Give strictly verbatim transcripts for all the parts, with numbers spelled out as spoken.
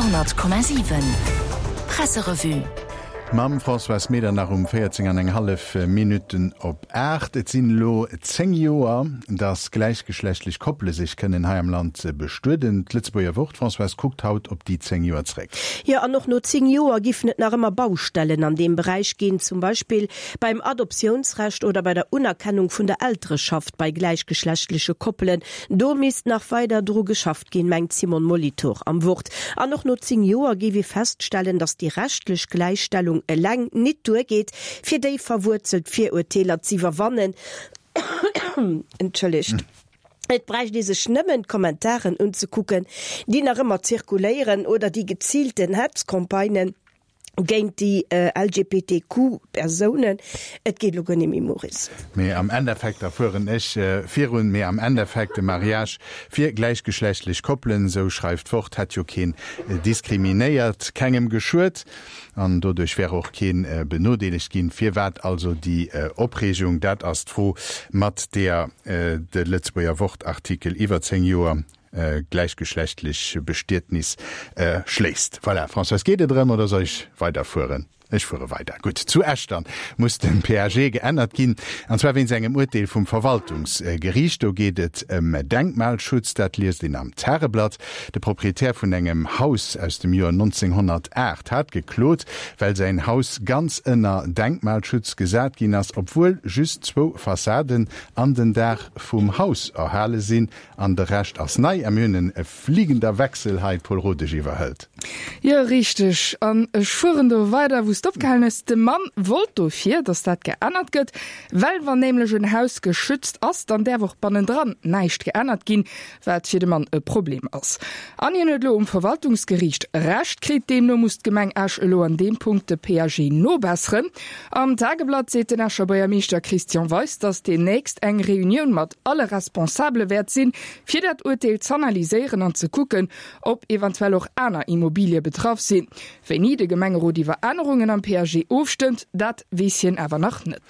Radio hundert Komma siwen Presserevue. Mam Françoise Medernach um véierzéng an eng hallef Minutten op aacht. Et sinn elo zéng Joer, datt gläichgeschlechtlech Koppele sech kënnen hei am Land bestueden. D'Lëtzebuerger Wort, Françoise, kuckt haut op déi zéng Joer zréck. Jo, an och no zéng Joer giffen et nach ëmmer Baustellen an deem Beräich ginn, zum Beispill beim Adoptiounsrecht oder bei der Unerkennung vun der Eltereschaft bei gläichgeschlechtleche Koppelen. Do misst nach weider dru geschafft ginn, mengt d'Simone Molitor am Wort. An och no zéng Joer géif ee feststellen, datt déi rechtlech Gläichstellung eleng nit duergeet, fir déi verwuerzelt Virurteeler z'iwwerwannen. Entschëllegt. Et bräicht ee sech nëmmen d'Kommentaren unzekucken, déi nach ëmmer zirkuléieren, oder déi geziilten Hetzcampagnen géint déi L G B T Q Persounen. Et geet elo guer net méi, Maurice. Mee am Endeffekt, da fueren ech virun, mee am Endeffekt, de Mariage fir gläichgeschlechtlech Koppelen, esou schreift d'Wort, hätt jo keen diskriminéiert, kengem geschuet an doduerch wär och keen benodeelegt ginn. Firwat also déi Opreegung? Dat ass d'Fro, mat deeër de Lëtzebuerger Wort-Artikel iwwer zéng Joer gläichgeschlechtlech Bestietnis schléisst. Voilà, Françoise, geet et erëm oder soll ech weiderfueren? Ech fuere weider. Gutt, zu Echtern muss de P A G geännert ginn, an zwar wéinst engem Urteel vum Verwaltungsgeriicht. Do geet et ëm Denkmalschutz, dat liest een am Tageblatt. De Proprietär vun engem Haus aus dem Joer nonzénghonnertaacht hat geklot, well säin Haus ganz ënner Denkmalschutz gesat ginn ass, obwuel just zwou Fassaden an den Daach vum Haus erhale sinn an de Rescht ass nei. A mir hunn e fliegender Wechsel hei, Paul Rodesch iwwerhëlt. Jo, richteg. An ech fueren do weider, wou s de opgehalen hues. De Mann wollt dofir, datt dat geännert gëtt, well wann nämlech en Haus geschützt ass, dann däerf och bannendran näischt geännert ginn, wat fir de Mann e Problem ass. An hien huet elo um Verwaltungsgeriicht Recht kritt. Deemno muss d'Gemeng Esch elo an deem Punkt de P A G nobesseren. Am Tageblatt seet den Escher Buergermeeschter Christian Weis, datt deemnächst eng Reunioun mat alle Responsabele wäert sinn, fir dat Urteel z'analyséieren an ze kucken, ob eventuell och aner Immobilie betraff sinn. Wéini de Gemengerot iwwer Ännerungen am P A G ofstëmmt, dat weess hien awer nach net.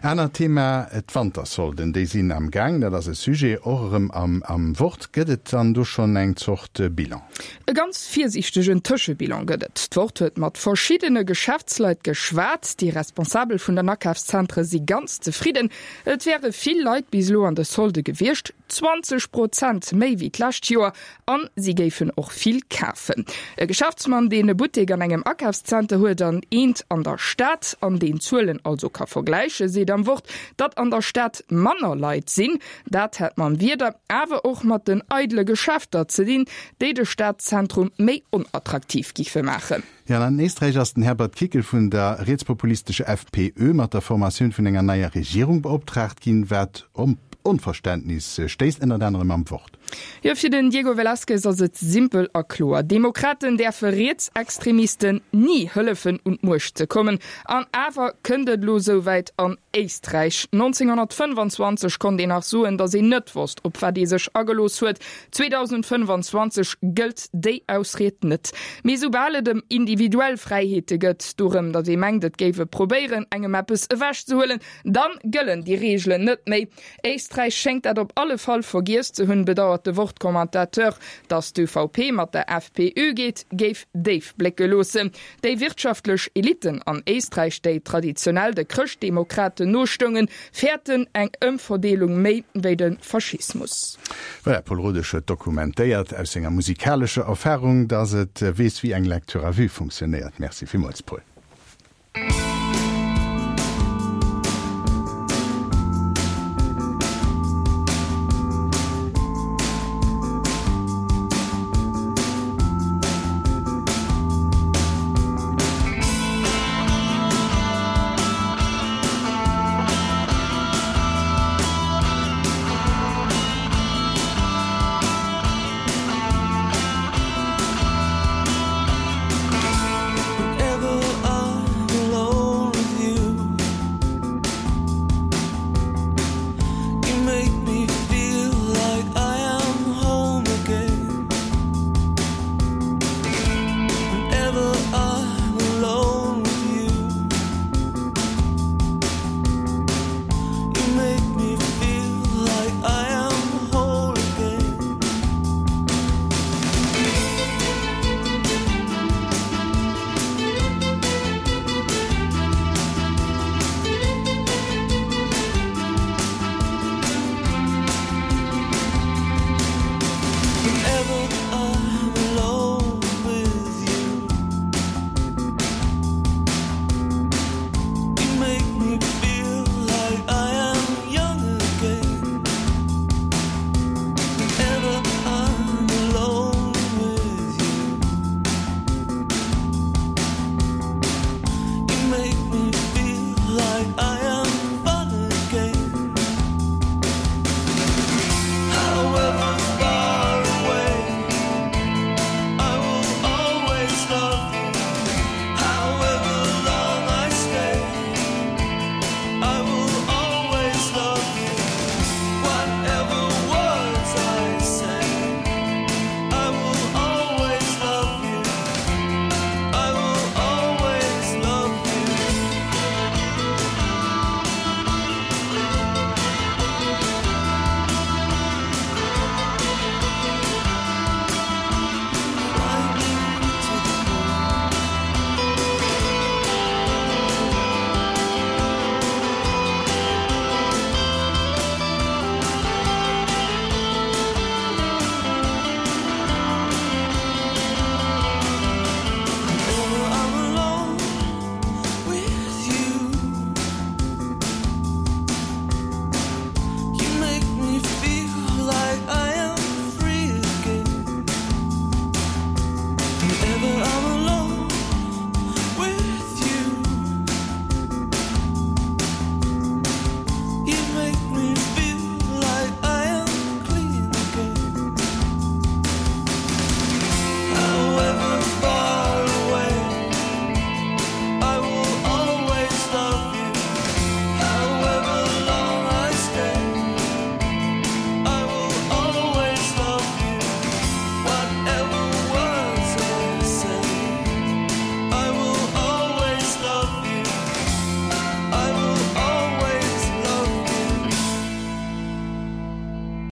Anert Thema, d'Wantersolden, déi sinn am Gaang. Dat ass e Sujet och erëm am am Wort. Gëtt et dann do schonn eng Zort Bilan? E ganz virsiichtegen Tëschebilan gëtt et. D'Wort huet mat verschiddene Geschäftsleit geschwat. Déi Responsabel vun den Akafszentre si ganz zefridden. Et wäre vill Leit bis elo an de Solde gewiescht, zwanzeg Prozent méi wéi d'lescht Joer, an si géifen och vill kafen. E Geschäftsmann, deen e Buttek an engem Akafszenter huet an eent an der Stad, an deen d'Zuelen also ka vergläichen, seet am Wort, datt an der Stad manner Leit sinn. Dat hätt mam Wieder, awer och mat den eidele Geschäfter ze dinn, déi de Stadzentrum méi onattraktiv giffe maachen. Jo, an Éisträich ass den Herbert Kickl vun der rietspopulistescher F P Ö mat der Formatioun vun enger neier Regierung beoptraagt ginn, wat op Onverständnis stéisst, ënnert anerem am Wort. Jo, fir den Diego Velázquez ass et simpel a kloer. Demokraten däerfe Rietsextremisten ni hëllefen un d'Muecht ze kommen. An awer kënnt et lo souwäit an Éisträich. nonzénghonnertfënnfanzwanzeg konnt een nach soen, datt een net wosst, op wat ee sech agelooss huet. zweedausendfënnfanzwanzeg gëllt déi Ausried net. Mee soubal et ëm individuell Fräiheete geet, dorëm, datt ee mengt, et géif ee probéieren, engem eppes ewechzehuelen, dann gëllen déi Reegelen net méi. Éisträich schéngt dat op alle Fall vergiess ze hunn, bedauert de Wort-Commentateur. Datt d'Ö V P mat der F P Ö geet, géif déif blécke loossen. Déi wirtschaftlech Eliten an Éisträich, déi traditionell de Chrëschtdemokraten nostoungen, fäerten eng Ëmverdeelung méi wéi de Faschismus. Voilà, Paul Rodesch huet dokumentéiert aus senger musikalescher Erfarung, datt et weess, wéi eng Lecture à vue funktionéiert. Merci villmools, Paul.